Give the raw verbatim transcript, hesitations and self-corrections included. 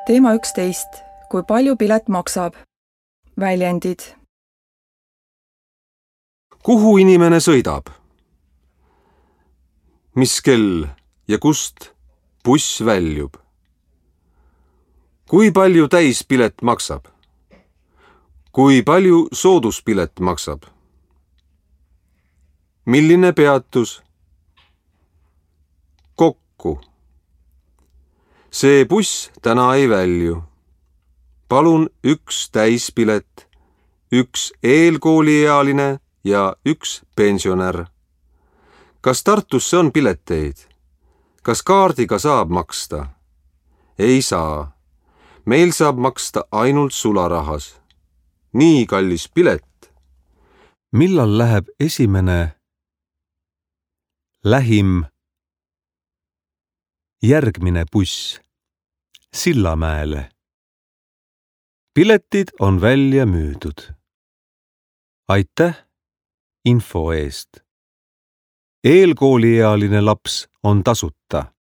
Teema üksteist. Kui palju pilet maksab? Väljendid. Kuhu inimene sõidab? Mis kell ja kust buss väljub? Kui palju täispilet maksab? Kui palju sooduspilet maksab? Milline peatus? Kokku. See buss täna ei välju. Palun üks täispilet, üks eelkooliealine ja üks pensionär. Kas Tartusse on pileteid? Kas kaardiga saab maksta? Ei saa. Meil saab maksta ainult sularahas. Nii kallis pilet. Millal läheb esimene lähim järgmine buss Sillamäele? Piletid on välja müüdud. Aitäh info eest. Eelkooliealine laps on tasuta.